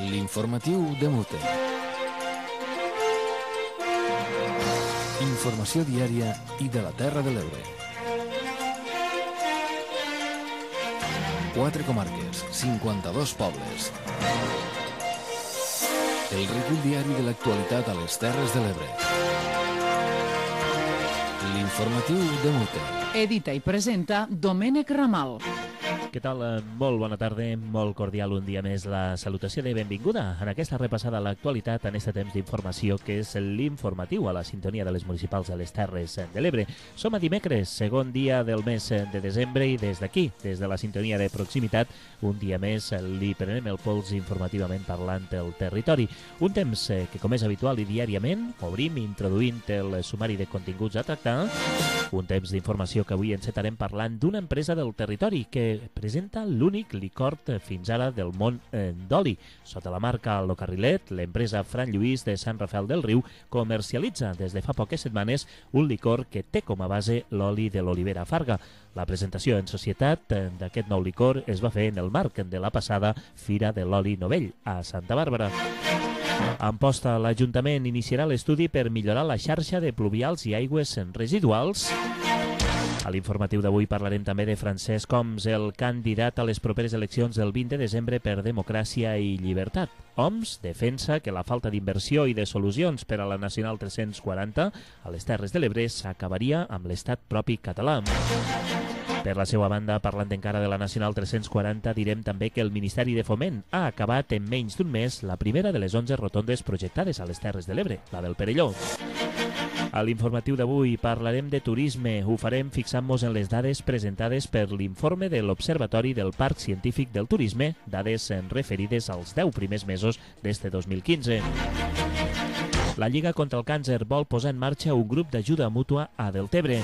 L'informatiu de Mute. Informació diària i de la Terra de l'Ebre. 4 comarques, 52 pobles. El recull diari de l'actualitat a les Terres de l'Ebre. L'informatiu de Mute. Edita i presenta Domènec Ramal. Què tal? Molt bona tarda, molt cordial un dia més la salutació de benvinguda en aquesta repassada a l'actualitat en aquest temps d'informació que és l'informatiu a la sintonia de les municipals de les Terres de l'Ebre. Som a dimecres, segon dia del mes de desembre i des d'aquí, des de la sintonia de proximitat, un dia més li prenem el pols informativament parlant del territori. Un temps que, com és habitual i diàriament, obrim introduint el sumari de continguts a tractar. Un temps d'informació que avui encetarem parlant d'una empresa del territori que presenta l'únic licor fins ara del món d'oli. Sota la marca Locarrilet, l'empresa Fran Lluís de Sant Rafel del Riu comercialitza des de fa poques setmanes un licor que té com a base l'oli de l'olivera farga. La presentació en societat d'aquest nou licor es va fer en el marc de la passada Fira de l'Oli Novell a Santa Bàrbara. En posta, l'Ajuntament iniciarà l'estudi per millorar la xarxa de pluvials i aigües residuals. A l'informatiu d'avui parlarem també de Francesc Homs, el candidat a les properes eleccions del 20 de desembre per Democràcia i Llibertat. Homs defensa que la falta d'inversió i de solucions per a la Nacional 340 a les Terres de l'Ebre s'acabaria amb l'estat propi català. Per la seva banda, parlant encara de la Nacional 340, direm també que el Ministeri de Foment ha acabat en menys d'un mes la primera de les 11 rotondes projectades a les Terres de l'Ebre, la del Perelló. A l'informatiu d'avui parlarem de turisme. Ho farem fixant-nos en les dades presentades per l'informe de l'Observatori del Parc Científic del Turisme, dades referides als 10 primers mesos d'este 2015. La Lliga contra el Càncer vol posar en marxa un grup d'ajuda mútua a Deltebre.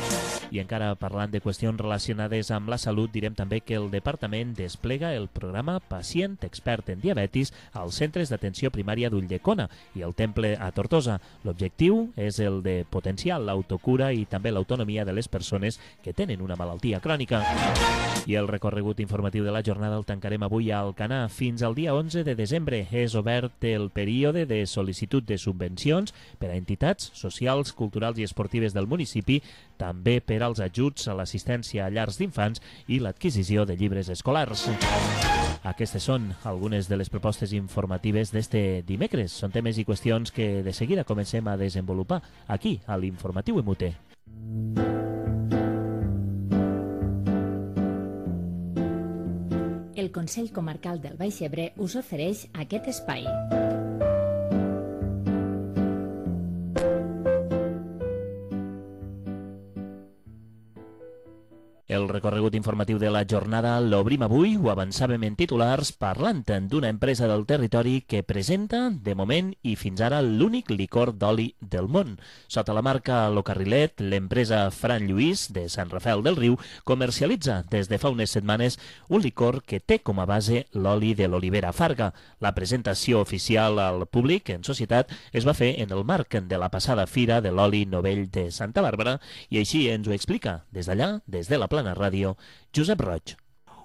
I encara parlant de qüestions relacionades amb la salut, direm també que el Departament desplega el programa Pacient Expert en Diabetis als centres d'atenció primària d'Ulldecona i el Temple a Tortosa. L'objectiu és el de potenciar l'autocura i també l'autonomia de les persones que tenen una malaltia crònica. I el recorregut informatiu de la jornada el tancarem avui a Alcanar. Fins al dia 11 de desembre és obert el període de sol·licitud de subvencions per a entitats socials, culturals i esportives del municipi, també per als ajuts a l'assistència a llars d'infants i l'adquisició de llibres escolars. Aquestes són algunes de les propostes informatives d'este dimecres. Són temes i qüestions que de seguida comencem a desenvolupar aquí, a l'Informatiu Emute. El Consell Comarcal del Baix Ebre us ofereix aquest espai. El recorregut informatiu de la jornada l'obrim avui, ho avançàvem en titulars, parlant d'una empresa del territori que presenta, de moment i fins ara, l'únic licor d'oli del món. Sota la marca Locarrilet, l'empresa Fran Lluís, de Sant Rafel del Riu, comercialitza des de fa unes setmanes un licor que té com a base l'oli de l'olivera farga. La presentació oficial al públic en societat es va fer en el marc de la passada Fira de l'Oli Novell de Santa Bàrbara i així ens ho explica des d'allà, des de la Plana Ràdio, Josep Roig.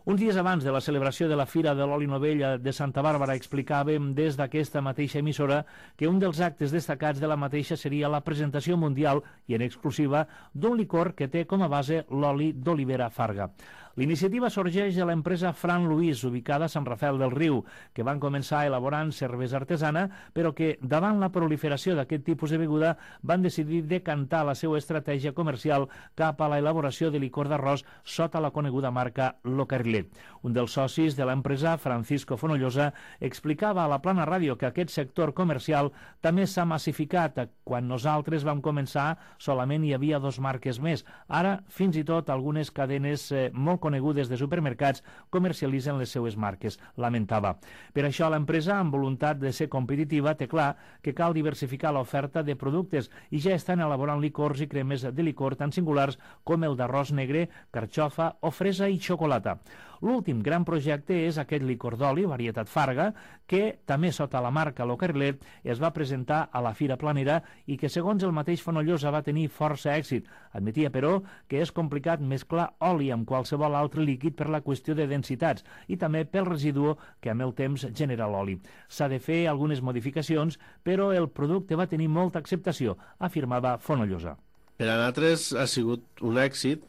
Uns dies abans de la celebració de la Fira de l'Oli Novell de Santa Bàrbara explicàvem des d'aquesta mateixa emissora que un dels actes destacats de la mateixa seria la presentació mundial i en exclusiva d'un licor que té com a base l'oli d'olivera farga. L'iniciativa sorgeix de l'empresa Fran Lluís, ubicada a Sant Rafel del Riu, que van començar elaborant cervesa artesana, però que, davant la proliferació d'aquest tipus de beguda, van decidir decantar la seva estratègia comercial cap a la elaboració de licor d'arròs sota la coneguda marca Locarrilet. Un dels socis de l'empresa, Francisco Fonollosa, explicava a la Plana Ràdio que aquest sector comercial també s'ha massificat. Quan nosaltres vam començar, solament hi havia 2 marques més. Ara, fins i tot, algunes cadenes molt conegudes de supermercats comercialitzen les seues marques, lamentava. Per això l'empresa, amb voluntat de ser competitiva, té clar que cal diversificar l'oferta de productes i ja estan elaborant licors i cremes de licor tan singulars com el d'arròs negre, carxofa o fresa i xocolata. L'últim gran projecte és aquest licor d'oli, varietat Farga, que també sota la marca Lo Carrilet es va presentar a la Fira Planera i que, segons el mateix Fonollosa, va tenir força èxit. Admetia, però, que és complicat mesclar oli amb qualsevol altre líquid per la qüestió de densitats i també pel residu que amb el temps genera l'oli. S'ha de fer algunes modificacions, però el producte va tenir molta acceptació, afirmava Fonollosa. Per a nosaltres ha sigut un èxit.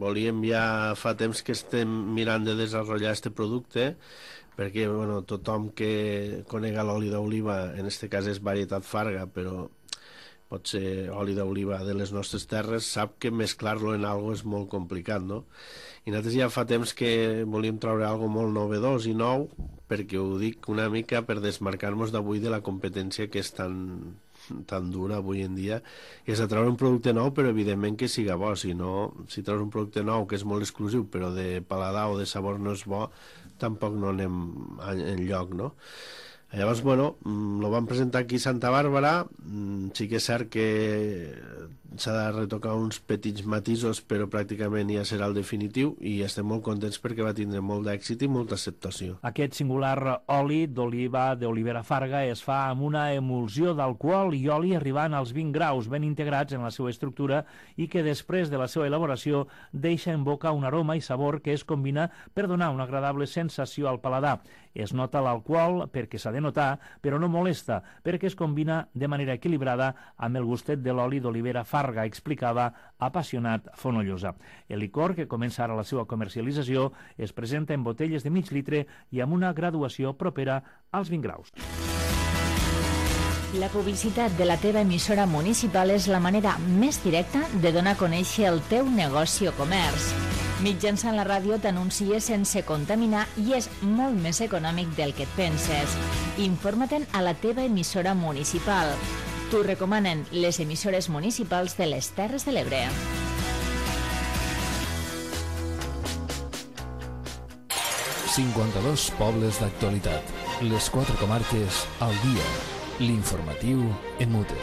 Volíem ja fa temps que estem mirant de desenvolupar aquest producte, perquè tothom que conega l'oli d'oliva, en aquest cas és varietat Farga, però pot ser oli d'oliva de les nostres terres, sap que mesclar-lo en algo és molt complicat, no? I nosaltres ja fa temps que volíem treure algo molt novedós i nou, perquè ho dic una mica per desmarcar-nos d'avui de la competència que és tan dura avui en dia, i és a treure un producte nou, però evidentment que siga bo. Si treus un producte nou que és molt exclusiu però de paladar o de sabor no és bo, tampoc no anem enlloc, no? Llavors, lo vam presentar aquí a Santa Bàrbara. Sí que és cert que s'ha de retocar uns petits matisos, però pràcticament ja serà el definitiu, i estem molt contents perquè va tindre molt d'èxit i molta acceptació. Aquest singular oli d'oliva d'olivera Farga es fa amb una emulsió d'alcohol i oli arribant als 20 graus, ben integrats en la seva estructura, i que després de la seva elaboració deixa en boca un aroma i sabor que es combina per donar una agradable sensació al paladar. Es nota l'alcohol perquè s'ha de notar, però no molesta, perquè es combina de manera equilibrada amb el gustet de l'oli d'olivera Farga, explicava apassionat Fonollosa. El licor, que comença ara la seva comercialització, es presenta en botelles de mig litre i amb una graduació propera als 20 graus. La publicitat de la teva emissora municipal és la manera més directa de donar a conèixer el teu negoci o comerç. Mitjançant la ràdio t'anuncies sense contaminar i és molt més econòmic del que et penses. Informa-te'n a la teva emissora municipal. T'ho recomanen les emissores municipals de les Terres de l'Ebre. ...52 pobles d'actualitat. Les 4 comarques al dia. L'informatiu en Mute.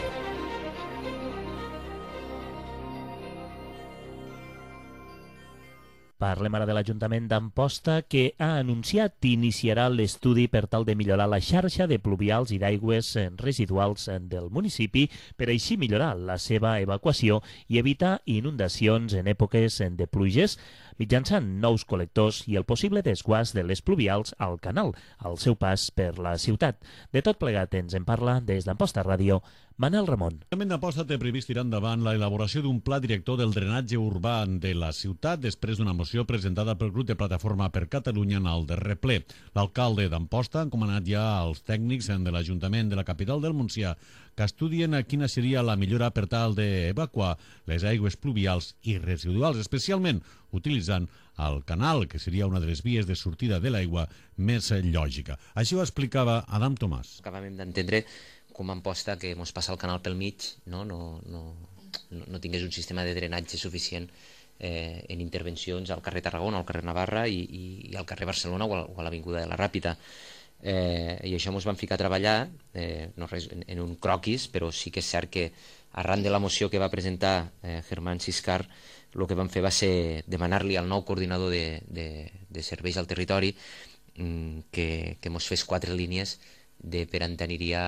Parlem ara de l'Ajuntament d'Amposta, que ha anunciat que iniciarà l'estudi per tal de millorar la xarxa de pluvials i d'aigües residuals del municipi, per així millorar la seva evacuació i evitar inundacions en èpoques de pluges, mitjançant nous col·lectors i el possible desguàs de les pluvials al canal, al seu pas per la ciutat. De tot plegat ens en parla des d'Amposta Ràdio, Manel Ramon. L'Ajuntament d'Amposta té previst tirar endavant la elaboració d'un pla director del drenatge urbà de la ciutat després d'una moció presentada pel grup de Plataforma per Catalunya en el darrer ple. L'alcalde d'Amposta ha encomanat ja als tècnics de l'Ajuntament de la capital del Montsià que estudien quina seria la millora per tal d'evacuar les aigües pluvials i residuals, especialment utilitzant el canal, que seria una de les vies de sortida de l'aigua més lògica. Així ho explicava Adam Tomàs. Acabem d'entendre com a Amposta que ens passa el canal pel mig, no tingués un sistema de drenatge suficient en intervencions al carrer Tarragona, al carrer Navarra i al carrer Barcelona o a l'Avinguda de la Ràpita. I això ens vam ficar a treballar, no res, en un croquis, però sí que és cert que arran de la moció que va presentar Germán Siscar, el que vam fer va ser demanar-li al nou coordinador de serveis al territori que ens fes 4 línies per on aniria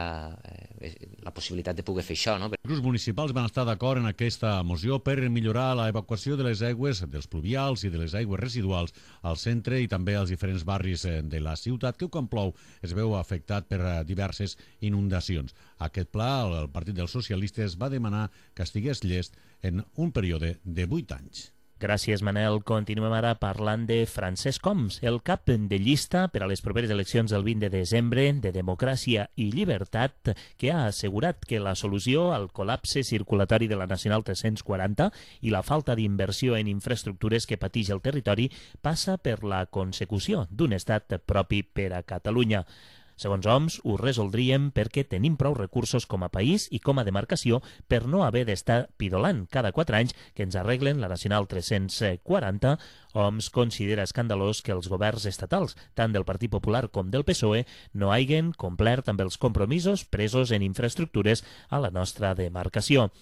la possibilitat de poder fer això. Els grups municipals van estar d'acord en aquesta moció per millorar la evacuació de les aigües dels pluvials i de les aigües residuals al centre i també als diferents barris de la ciutat, que quan plou es veu afectat per diverses inundacions. Aquest pla, el Partit dels Socialistes va demanar que estigués llest en un període de 8 anys. Gràcies, Manel. Continuem ara parlant de Francesc Homs, el cap de llista per a les properes eleccions del 20 de desembre de Democràcia i Llibertat, que ha assegurat que la solució al col·lapse circulatori de la Nacional 340 i la falta d'inversió en infraestructures que pateix el territori passa per la consecució d'un estat propi per a Catalunya. Segons Homs, ho resoldríem perquè tenim prou recursos com a país i com a demarcació per no haver d'estar pidolant cada 4 anys que ens arreglen la Nacional 340. Homs considera escandalós que els governs estatals, tant del Partit Popular com del PSOE, no hagin complert amb els compromisos presos en infraestructures a la nostra demarcació.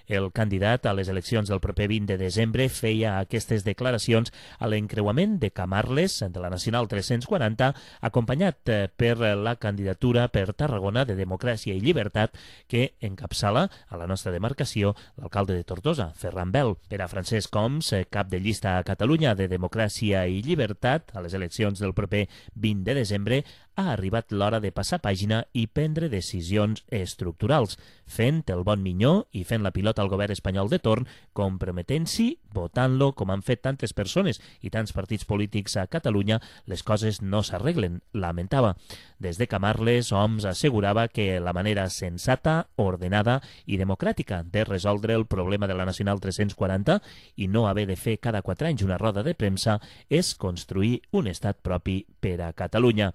El candidat a les eleccions del proper 20 de desembre feia aquestes declaracions a l'encreuament de Camarles de la Nacional 340, acompanyat per la candidatura per Tarragona de Democràcia i Llibertat que encapçala a la nostra demarcació l'alcalde de Tortosa, Ferran Bel. Per a Francesc Homs, cap de llista a Catalunya de Democràcia i Llibertat a les eleccions del proper 20 de desembre, ha arribat l'hora de passar pàgina i prendre decisions estructurals, fent el bon minyó i fent la pilota al govern espanyol de torn, comprometent-s'hi, votant-lo, com han fet tantes persones i tants partits polítics a Catalunya, les coses no s'arreglen, lamentava. Des de Camarles, Homs assegurava que la manera sensata, ordenada i democràtica de resoldre el problema de la Nacional 340 i no haver de fer cada 4 anys una roda de premsa és construir un estat propi per a Catalunya.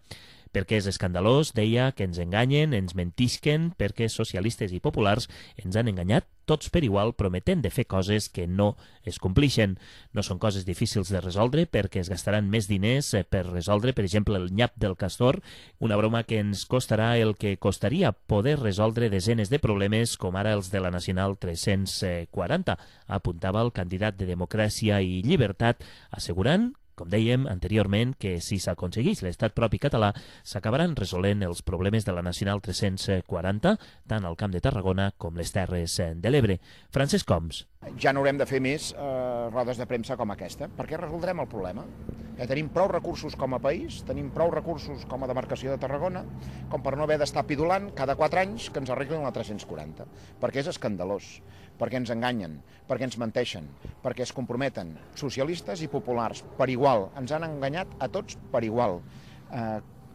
Perquè és escandalós, deia, que ens enganyen, ens mentisquen, perquè socialistes i populars ens han enganyat tots per igual, prometent de fer coses que no es complixen. No són coses difícils de resoldre perquè es gastaran més diners per resoldre, per exemple, el nyap del castor, una broma que ens costarà el que costaria poder resoldre desenes de problemes com ara els de la Nacional 340, apuntava el candidat de Democràcia i Llibertat, assegurant, com dèiem anteriorment, que si s'aconseguís l'estat propi català s'acabaran resolent els problemes de la Nacional 340 tant al Camp de Tarragona com les Terres de l'Ebre. Francesc Homs. Ja no haurem de fer més rodes de premsa com aquesta, perquè resoldrem el problema. Tenim prou recursos com a país, tenim prou recursos com a demarcació de Tarragona, com per no haver d'estar pidolant cada 4 anys que ens arreglin la 340, perquè és escandalós, perquè ens enganyen, perquè ens menteixen, perquè es comprometen socialistes i populars per igual, ens han enganyat a tots per igual.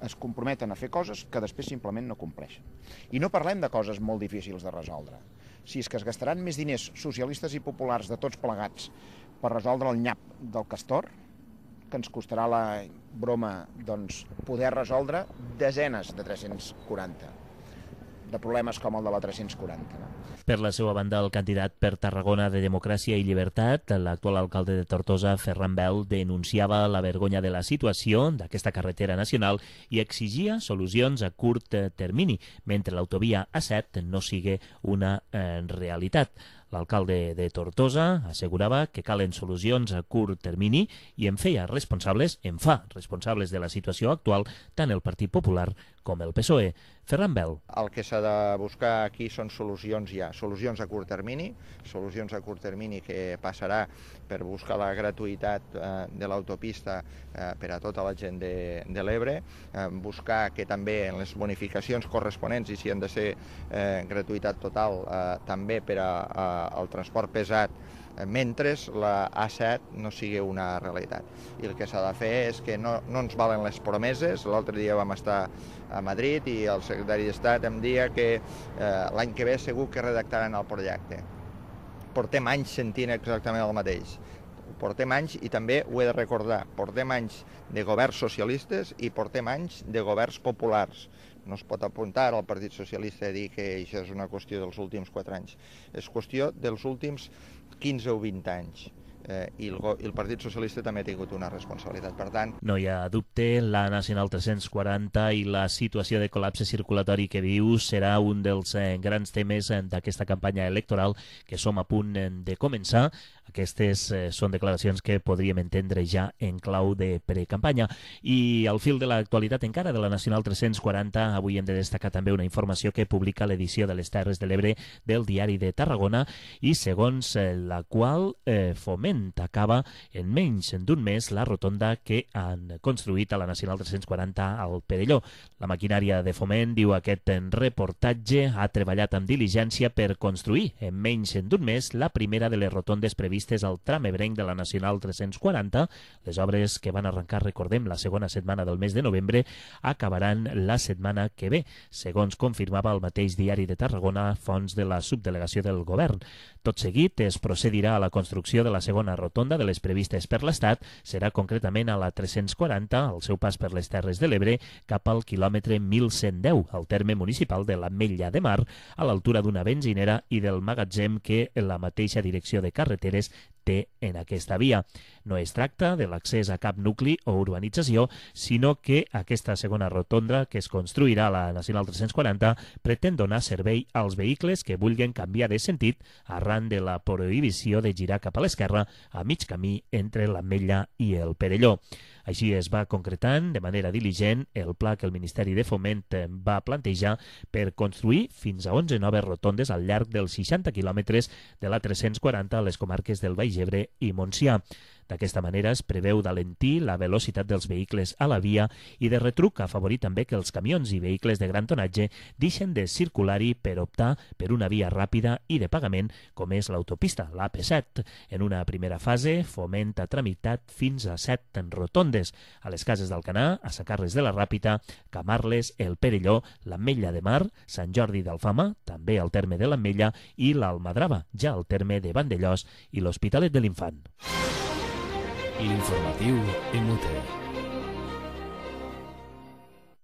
Es comprometen a fer coses que després simplement no compleixen. I no parlem de coses molt difícils de resoldre. Si és que es gastaran més diners socialistes i populars de tots plegats per resoldre el nyap del castor, que ens costarà la broma poder resoldre desenes de 340, de problemes com el de la 340. Per la seva banda, el candidat per Tarragona de Democràcia i Llibertat, l'actual alcalde de Tortosa, Ferran Bel, denunciava la vergonya de la situació d'aquesta carretera nacional i exigia solucions a curt termini, mentre l'autovia A7 no sigui una realitat. L'alcalde de Tortosa assegurava que calen solucions a curt termini i em fa responsables de la situació actual tant el Partit Popular com el PSOE. Ferran Bel. El que s'ha de buscar aquí són solucions ja, solucions a curt termini que passarà per buscar la gratuïtat de l'autopista per a tota la gent de l'Ebre, buscar que també en les bonificacions corresponents, i si han de ser gratuïtat total, també per al transport pesat, mentre la A7 no sigui una realitat. I el que s'ha de fer és que no ens valen les promeses. L'altre dia vam estar a Madrid i el secretari d'Estat em deia que l'any que ve segur que redactaran el projecte. Portem anys sentint exactament el mateix. Portem anys, i també ho he de recordar, portem anys de governs socialistes i portem anys de governs populars. No es pot apuntar al Partit Socialista a dir que això és una qüestió dels últims 4 anys. És qüestió dels últims 15 o 20 anys. I el Partit Socialista també ha tingut una responsabilitat. Per tant, no hi ha dubte, la Nacional 340 i la situació de col·lapse circulatori que viu serà un dels grans temes d'aquesta campanya electoral que som a punt de començar. Aquestes són declaracions que podríem entendre ja en clau de precampanya. I al fil de l'actualitat encara de la Nacional 340, avui hem de destacar també una informació que publica l'edició de les Terres de l'Ebre del Diari de Tarragona i segons la qual Foment acaba en menys d'un mes la rotonda que han construït a la Nacional 340 al Perelló. La maquinària de Foment, diu aquest reportatge, ha treballat amb diligència per construir en menys d'un mes la primera de les rotondes previstes al tram ebrenc de la Nacional 340. Les obres que van arrencar, recordem, la segona setmana del mes de novembre, acabaran la setmana que ve, segons confirmava el mateix Diari de Tarragona, fonts de la subdelegació del govern. Tot seguit es procedirà a la construcció de la segona rotonda de les previstes per l'Estat, serà concretament a la 340, al seu pas per les Terres de l'Ebre, cap al quilòmetre 1110, al terme municipal de l'Ametlla de Mar, a l'altura d'una benzinera i del magatzem que la mateixa direcció de carreteres té en aquesta via. No es tracta de l'accés a cap nucli o urbanització, sinó que aquesta segona rotonda que es construirà a la Nacional 340 pretén donar servei als vehicles que vulguin canviar de sentit arran de la prohibició de girar cap a l'esquerra a mig camí entre l'Ametlla i el Perelló. Així es va concretant de manera diligent el pla que el Ministeri de Foment va plantejar per construir fins a 11 noves rotondes al llarg dels 60 quilòmetres de la 340 a les comarques del Baix Ebre i Montsià. D'aquesta manera es preveu d'alentir la velocitat dels vehicles a la via i de retruc afavorir també que els camions i vehicles de gran tonatge deixen de circular-hi per optar per una via ràpida i de pagament com és l'autopista, l'AP7. En una primera fase, Foment ha tramitat fins a 7 rotondes a les Cases d'Alcanar, a Sant Carles de la Ràpita, Camarles, el Perelló, l'Ametlla de Mar, Sant Jordi d'Alfama, també al terme de l'Ametlla, i l'Almadrava, ja al terme de Vandellós i l'Hospitalet de l'Infant. L'informatiu MUT.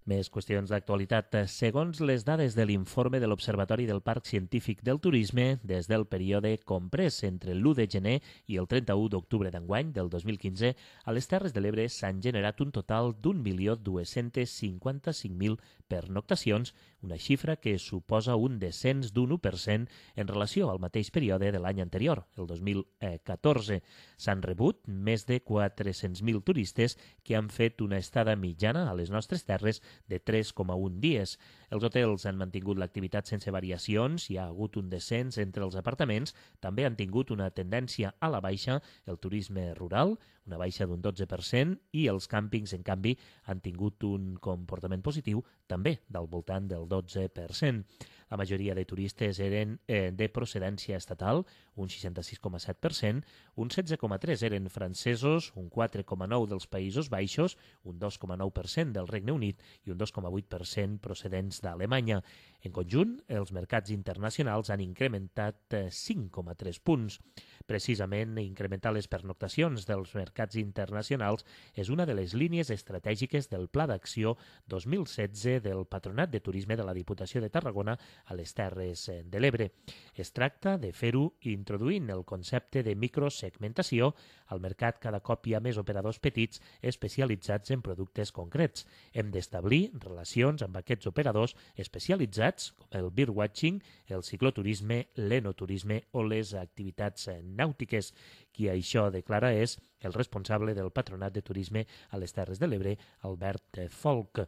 Més qüestions d'actualitat. Segons les dades de l'informe de l'Observatori del Parc Científic del Turisme, des del període comprès entre l'1 de gener i el 31 d'octubre d'enguany del 2015, a les Terres de l'Ebre s'han generat un total d'1.255.000 pernoctacions, una xifra que suposa un descens d'un 1% en relació al mateix període de l'any anterior, el 2014. S'han rebut més de 400.000 turistes que han fet una estada mitjana a les nostres terres de 3,1 dies. Els hotels han mantingut l'activitat sense variacions, hi ha hagut un descens entre els apartaments, també han tingut una tendència a la baixa el turisme rural, una baixa d'un 12%, i els càmpings, en canvi, han tingut un comportament positiu també del voltant del 12%. La majoria de turistes eren de procedència estatal, un 66,7%, un 16,3% eren francesos, un 4,9% dels Països Baixos, un 2,9% del Regne Unit i un 2,8% procedents d'Alemanya. En conjunt, els mercats internacionals han incrementat 5,3 punts. Precisament, incrementar les pernoctacions dels mercats internacionals és una de les línies estratègiques del Pla d'Acció 2016 del Patronat de Turisme de la Diputació de Tarragona a les Terres de l'Ebre. Es tracta de fer-ho introduint el concepte de microsegmentació. Al mercat cada cop hi ha més operadors petits especialitzats en productes concrets. Hem d'establir relacions amb aquests operadors especialitzats com el birdwatching, el cicloturisme, l'enoturisme o les activitats nàutiques. Qui això declara és el responsable del Patronat de Turisme a les Terres de l'Ebre, Albert Folch.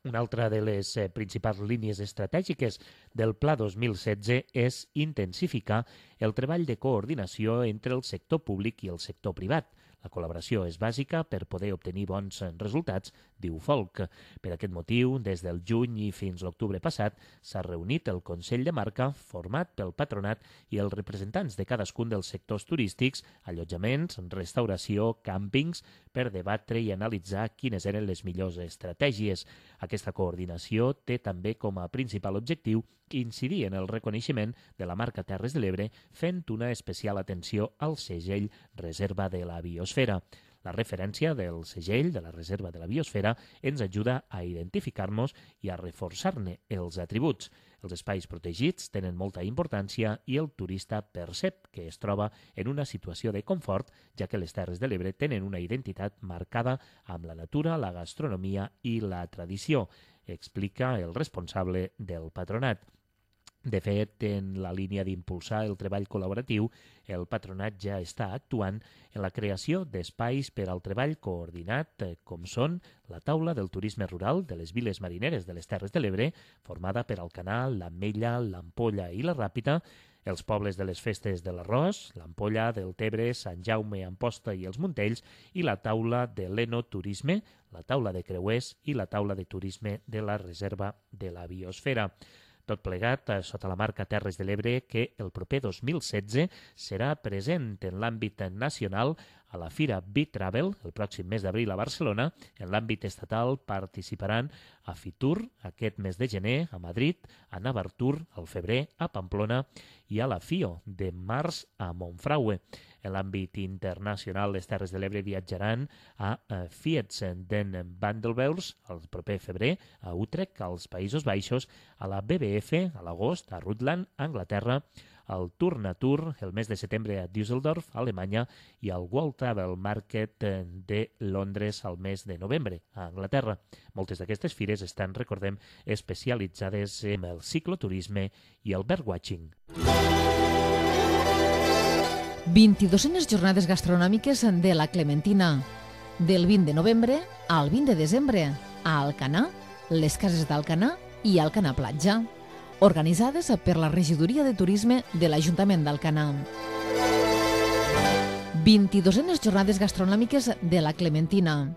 Una altra de les principals línies estratègiques del Pla 2016 és intensificar el treball de coordinació entre el sector públic i el sector privat. La col·laboració és bàsica per poder obtenir bons resultats, diu Folch. Per aquest motiu, des del juny i fins l'octubre passat, s'ha reunit el Consell de Marca, format pel patronat i els representants de cadascun dels sectors turístics, allotjaments, restauració, càmpings, per debatre i analitzar quines eren les millors estratègies. Aquesta coordinació té també com a principal objectiu incidir en el reconeixement de la marca Terres de l'Ebre, fent una especial atenció al segell Reserva de la Biosfera. La referència del segell de la Reserva de la Biosfera ens ajuda a identificar-nos i a reforçar-ne els atributs. Els espais protegits tenen molta importància i el turista percep que es troba en una situació de confort, ja que les Terres de l'Ebre tenen una identitat marcada amb la natura, la gastronomia i la tradició, explica el responsable del patronat. De fet, en la línia d'impulsar el treball col·laboratiu, el patronat ja està actuant en la creació d'espais per al treball coordinat, com són la taula del turisme rural de les viles marineres de les Terres de l'Ebre, formada per Alcanar, l'Ametlla, l'Ampolla i la Ràpita, els pobles de les festes de l'Arròs, l'Ampolla, del Tebre, Sant Jaume, Amposta i els Montells, i la taula de l'Enoturisme, la taula de creuers i la taula de turisme de la Reserva de la Biosfera. Tot plegat sota la marca Terres de l'Ebre, que el proper 2016 serà present en l'àmbit nacional a la Fira Bitravel, el pròxim mes d'abril a Barcelona. En l'àmbit estatal participaran a Fitur aquest mes de gener a Madrid, a Navartur al febrer a Pamplona i a la FIO de març a Monfragüe. En l'àmbit internacional, les Terres de l'Ebre viatjaran a Fiets den Vandelvels el proper febrer, a Utrecht, als Països Baixos, a la BBF a l'agost, a Rutland, a Anglaterra, el Tour Natur el mes de setembre a Düsseldorf, Alemanya, i el World Travel Market de Londres al mes de novembre a Anglaterra. Moltes d'aquestes fires estan, recordem, especialitzades en el cicloturisme i el birdwatching. 22enes jornades gastronòmiques de la Clementina. Del 20 de novembre al 20 de desembre, a Alcanar, les cases d'Alcanar i Alcanar Platja, organitzades per la Regidoria de Turisme de l'Ajuntament d'Alcanar. 22enes jornades gastronòmiques de la Clementina.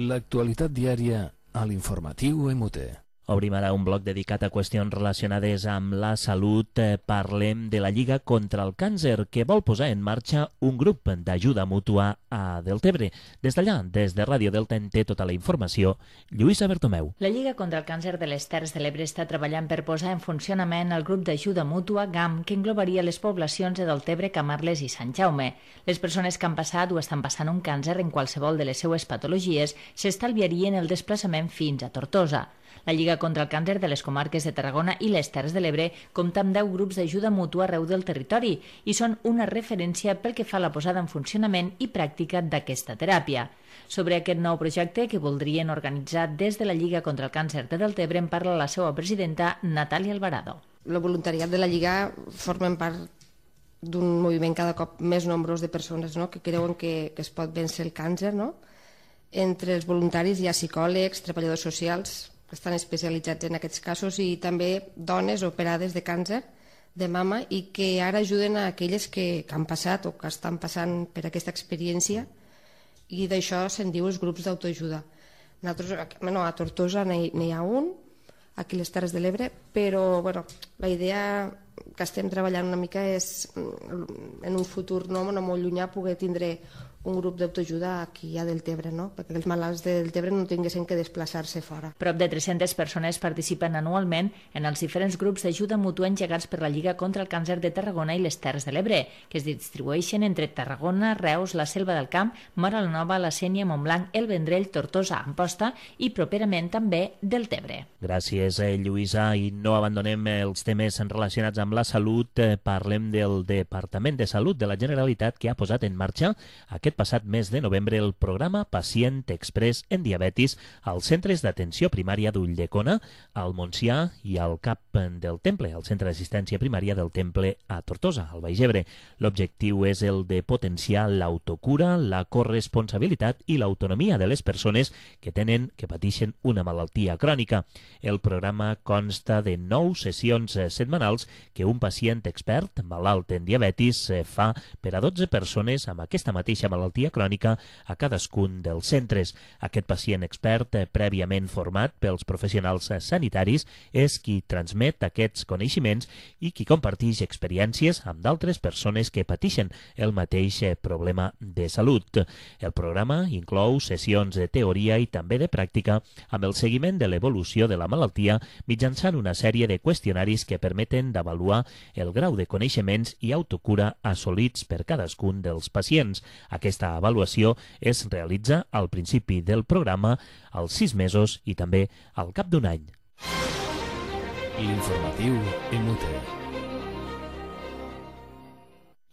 L'actualitat diària a l'informatiu MUT. Obrim ara un bloc dedicat a qüestions relacionades amb la salut. Parlem de la Lliga contra el Càncer, que vol posar en marxa un grup d'ajuda mútua a Deltebre. Des d'allà, des de Ràdio Delta, en té tota la informació Lluïsa Bertomeu. La Lliga contra el Càncer de les Terres de l'Ebre està treballant per posar en funcionament el grup d'ajuda mútua GAM, que englobaria les poblacions de Deltebre, Camarles i Sant Jaume. Les persones que han passat o estan passant un càncer en qualsevol de les seues patologies s'estalviarien el desplaçament fins a Tortosa. La Lliga contra el Càncer de les comarques de Tarragona i les Terres de l'Ebre compta amb 10 grups d'ajuda mútua arreu del territori i són una referència pel que fa a la posada en funcionament i pràctica d'aquesta teràpia. Sobre aquest nou projecte que voldrien organitzar des de la Lliga contra el Càncer de Deltebre en parla la seva presidenta Natàlia Alvarado. El voluntariat de la Lliga formen part d'un moviment cada cop més nombrós de persones, no?, que creuen que es pot vèncer el càncer. No? Entre els voluntaris hi ha psicòlegs, treballadors socials, que estan especialitzats en aquests casos, i també dones operades de càncer de mama i que ara ajuden a aquelles que han passat o que estan passant per aquesta experiència, i d'això se'n diu els grups d'autoajuda. A Tortosa n'hi ha un, aquí a les Terres de l'Ebre, però la idea que estem treballant una mica és en un futur no molt llunyà poder tindre un grup d'autoajuda aquí a Deltebre, no? Perquè els malalts de Deltebre no tinguessin que desplaçar-se fora. Prop de 300 persones participen anualment en els diferents grups d'ajuda mútua engegats per la Lliga contra el Càncer de Tarragona i les Terres de l'Ebre, que es distribueixen entre Tarragona, Reus, la Selva del Camp, Móra la Nova, la Sénia, Montblanc, el Vendrell, Tortosa, Amposta i properament també Deltebre. Gràcies, Lluïsa. I no abandonem els temes relacionats amb la salut. Parlem del Departament de Salut de la Generalitat, que ha posat en marxa aquest passat mes de novembre el programa Pacient Express en Diabetis als centres d'atenció primària d'Ulldecona, al Montsià i al CAP del Temple, al Centre d'Assistència Primària del Temple a Tortosa, al Baix Ebre. L'objectiu és el de potenciar l'autocura, la corresponsabilitat i l'autonomia de les persones que pateixen una malaltia crònica. El programa consta de 9 sessions setmanals que un pacient expert malalt en diabetis fa per a 12 persones amb aquesta mateixa malaltia crònica a cadascun dels centres. Aquest pacient expert, prèviament format pels professionals sanitaris, és qui transmet aquests coneixements i qui comparteix experiències amb d'altres persones que pateixen el mateix problema de salut. El programa inclou sessions de teoria i també de pràctica amb el seguiment de l'evolució de la malaltia mitjançant una sèrie de qüestionaris que permeten d'avaluar el grau de coneixements i autocura assolits per cadascun dels pacients. Aquesta avaluació es realitza al principi del programa, als 6 mesos i també al cap d'un any. L'informatiu MUT.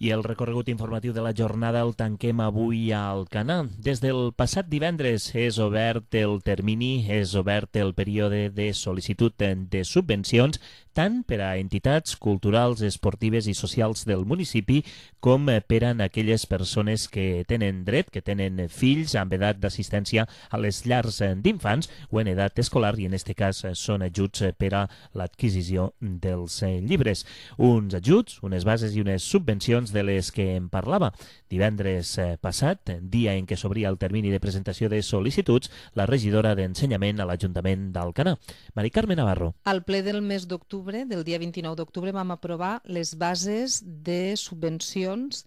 I el recorregut informatiu de la jornada el tanquem avui a Alcanar. Des del passat divendres és obert el termini, és obert el període de sol·licitud de subvencions tant per a entitats culturals, esportives i socials del municipi com per a aquelles persones que tenen dret, que tenen fills amb edat d'assistència a les llars d'infants o en edat escolar, i en aquest cas són ajuts per a l'adquisició dels llibres. Uns ajuts, unes bases i unes subvencions de les que en parlava. Divendres passat, dia en què s'obria el termini de presentació de sol·licituds, la regidora d'Ensenyament a l'Ajuntament d'Alcanar, Mari Carme Navarro. Al ple del mes d'octubre, del dia 29 d'octubre, vam aprovar les bases de subvencions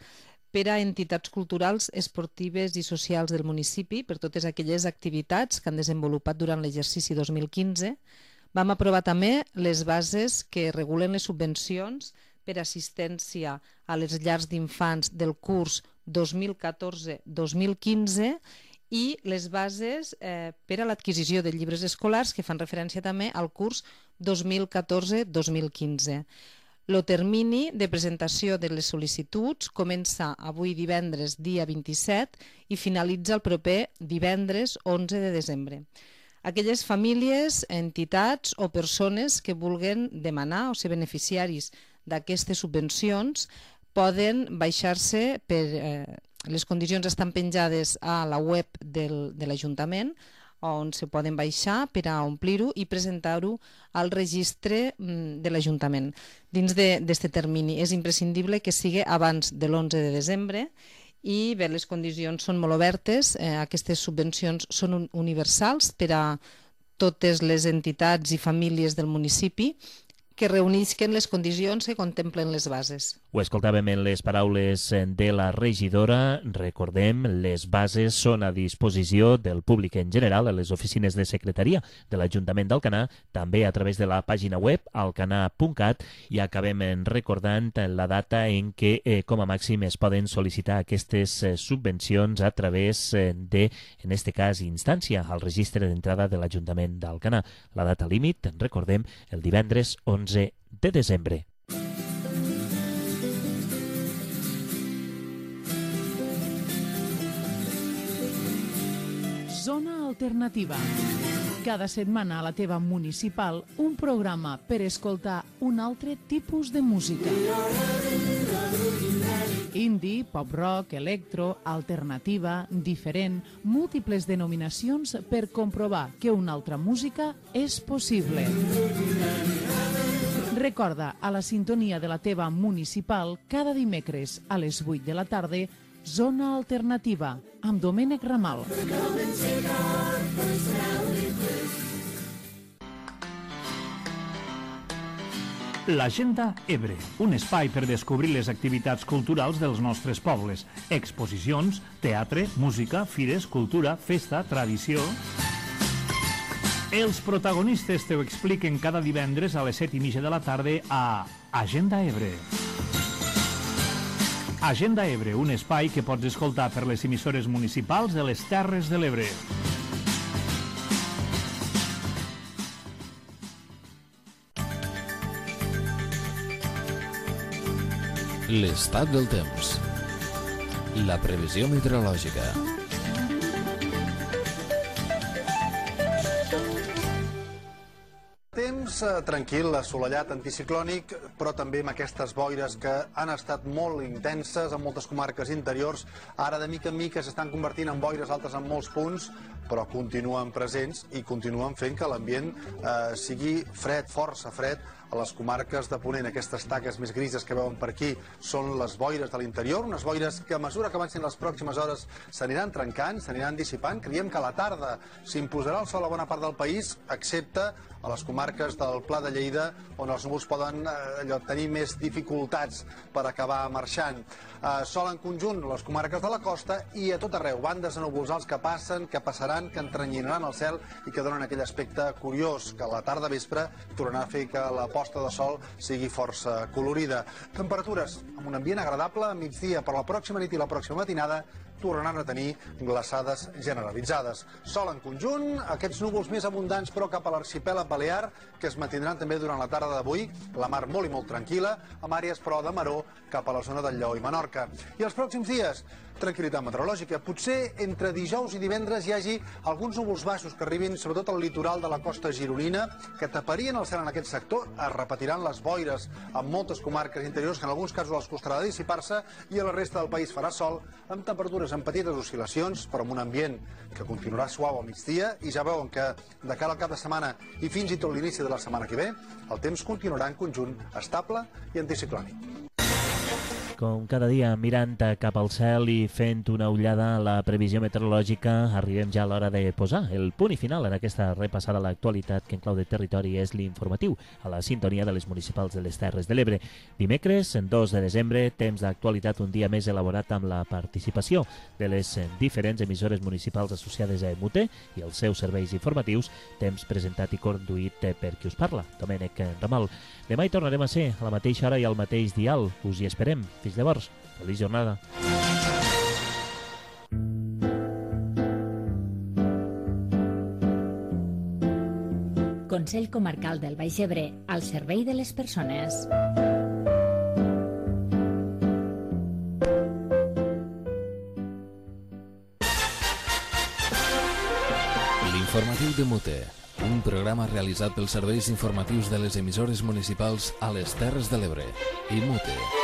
per a entitats culturals, esportives i socials del municipi, per totes aquelles activitats que han desenvolupat durant l'exercici 2015. Vam aprovar també les bases que regulen les subvencions per assistència a les llars d'infants del curs 2014-2015 i les bases per a l'adquisició de llibres escolars que fan referència també al curs 2014-2015. El termini de presentació de les sol·licituds comença avui divendres dia 27 i finalitza el proper divendres 11 de desembre. Aquelles famílies, entitats o persones que vulguen demanar o ser beneficiaris d'aquestes subvencions poden baixar-se per... Les condicions estan penjades a la web de l'Ajuntament, on se poden baixar per a omplir-ho i presentar-ho al registre de l'Ajuntament. Dins d'aquest termini és imprescindible que sigui abans de l'11 de desembre i bé, les condicions són molt obertes. Aquestes subvencions són universals per a totes les entitats i famílies del municipi que reunisquen les condicions que contemplen les bases. Ho escoltàvem en les paraules de la regidora. Recordem, les bases són a disposició del públic en general a les oficines de secretaria de l'Ajuntament d'Alcanar, també a través de la pàgina web alcanar.cat, i acabem recordant la data en què com a màxim es poden sol·licitar aquestes subvencions a través de, en este cas, instància al registre d'entrada de l'Ajuntament d'Alcanar. La data límit, recordem, el divendres 11 de desembre. Zona Alternativa. Cada setmana a la teva municipal, un programa per escoltar un altre tipus de música. Indie, pop-rock, electro, alternativa, diferent, múltiples denominacions per comprovar que una altra música és possible. Recorda, a la sintonia de la teva municipal, cada dimecres a les 8 de la tarda, Zona Alternativa, amb Domènec Ramal. L'Agenda Ebre, un espai per descobrir les activitats culturals dels nostres pobles. Exposicions, teatre, música, fires, cultura, festa, tradició... Els protagonistes t'ho expliquen cada divendres a les 7:30 de la tarda a Agenda Ebre. Agenda Ebre, un espai que pots escoltar per les emissores municipals de les Terres de l'Ebre. L'estat del temps. La previsió meteorològica. Temps tranquil, assolellat, anticiclònic, però també amb aquestes boires que han estat molt intenses en moltes comarques interiors. Ara de mica en mica s'estan convertint en boires altes en molts punts, però continuen presents i continuen fent que l'ambient sigui fred, força fred, a les comarques de Ponent. Aquestes taques més grises que veuen per aquí són les boires de l'interior, unes boires que a mesura que avancin les pròximes hores s'aniran trencant, s'aniran dissipant. Creiem que a la tarda s'imposarà el sol a bona part del país, excepte a les comarques del Pla de Lleida, on els núvols poden tenir més dificultats per acabar marxant. Sol en conjunt les comarques de la costa i a tot arreu, bandes de núvols alts que passen, que passaran, que entrenyinaran el cel i que donen aquell aspecte curiós, que a la tarda vespre tornarà a fer que la posta de sol sigui força colorida. Temperatures amb un ambient agradable a migdia, per la pròxima nit i la pròxima matinada tornaran a tenir glaçades generalitzades. Sol en conjunt, aquests núvols més abundants però cap a l'arxipèlag balear, que es mantindran també durant la tarda d'avui, la mar molt i molt tranquil·la, amb àrees però de maror cap a la zona del Lleó i Menorca. I els pròxims dies, tranquil·litat meteorològica. Potser entre dijous i divendres hi hagi alguns núvols baixos que arribin sobretot al litoral de la costa gironina, que taparien el cel en aquest sector. Es repetiran les boires en moltes comarques interiors, que en alguns casos els costarà de dissipar-se, i a la resta del país farà sol, amb temperatures amb petites oscil·lacions, però amb un ambient que continuarà suau al migdia, i ja veuen que de cara al cap de setmana i fins i tot l'inici de la setmana que ve, el temps continuarà en conjunt estable i anticiclònic. Com cada dia, mirant cap al cel i fent una ullada a la previsió meteorològica, arribem ja a l'hora de posar el punt i final en aquesta repassada a l'actualitat que en clau de territori és l'informatiu a la sintonia de les municipals de les Terres de l'Ebre. Dimecres, 2 de desembre, temps d'actualitat un dia més elaborat amb la participació de les diferents emissores municipals associades a EMUT i els seus serveis informatius, temps presentat i conduït per qui us parla, Domènec Ramal. Demà hi tornarem a ser a la mateixa hora i al mateix dial. Us hi esperem. Fins llavors, feliç jornada. Consell Comarcal del Baix Ebre, al servei de les persones. L'informatiu de Mute, un programa realitzat pels serveis informatius de les emissores municipals a les Terres de l'Ebre i Mute.